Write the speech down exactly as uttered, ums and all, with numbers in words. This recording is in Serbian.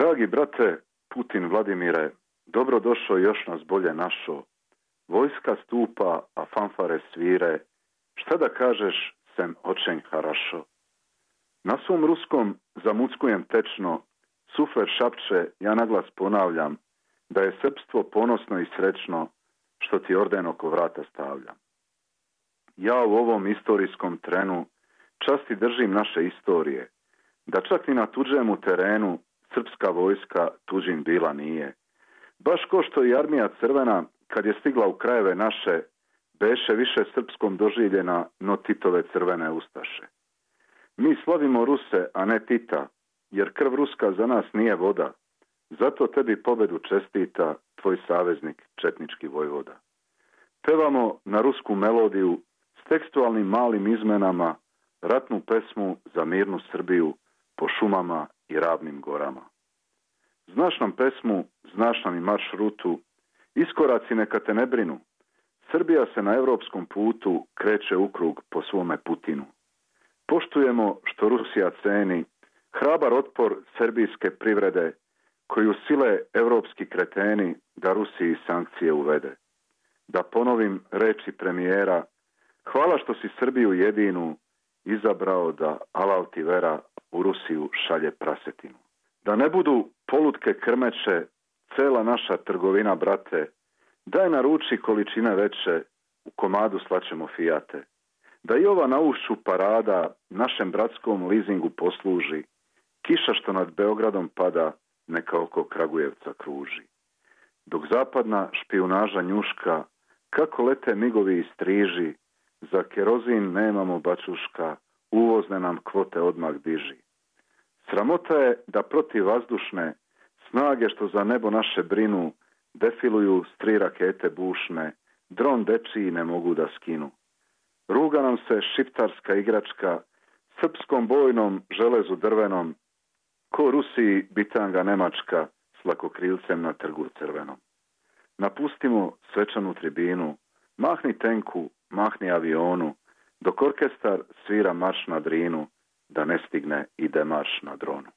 Dragi brate Putin Vladimire, dobro došao, još nas bolje našo. Vojska stupa, a fanfare svire. Šta da kažeš, sem očenj harašo. Na svom ruskom zamuckujem tečno, sufler šapče, ja naglas ponavljam, da je srpstvo ponosno i srećno, što ti orden oko vrata stavljam. Ja u ovom istorijskom trenu časti držim naše istorije, da čak i na tuđemu terenu srpska vojska tuđin bila nije. Baš ko što i armija crvena, kad je stigla u krajeve naše, beše više srpskom doživljena no Titove crvene ustaše. Mi slavimo Ruse, a ne Tita, jer krv ruska za nas nije voda. Zato tebi pobedu čestita tvoj saveznik četnički vojvoda. Pevamo na rusku melodiju s tekstualnim malim izmenama ratnu pesmu za mirnu Srbiju po šumama i ravnim gorama. Znaš nam pesmu, znaš nam i maršrutu, iskoraci neka te ne brinu. Srbija se na evropskom putu kreće u krug po svome Putinu. Poštujemo što Rusija ceni hrabar otpor serbijske privrede, koju sile evropski kreteni da Rusiji sankcije uvede. Da ponovim reči premijera, hvala što si Srbiju jedinu izabrao da alal ti vera u Rusiju šalje prasetinu. Da ne budu polutke krmeće, cela naša trgovina, brate, daj naruči količine veće, u komadu slaćemo fijate. Da i ova na ušću parada našem bratskom lizingu posluži, kiša što nad Beogradom pada, neka oko Kragujevca kruži. Dok zapadna špijunaža njuška, kako lete migovi i striži, za kerozin nemamo bačuška, uvozne nam kvote odmah diži. Sramota je da protiv vazdušne snage što za nebo naše brinu, defiluju s tri rakete bušne, dron dečiji ne mogu da skinu. Ruga nam se šiptarska igračka, srpskom bojnom železu drvenom, ko Rusiji bitanga Nemačka s lakokrilcem na trgu crvenom. Napustimo svečanu tribinu, mahni tenku, mahni avionu, dok orkestar svira marš na Drinu, da ne stigne ide marš na Dronu.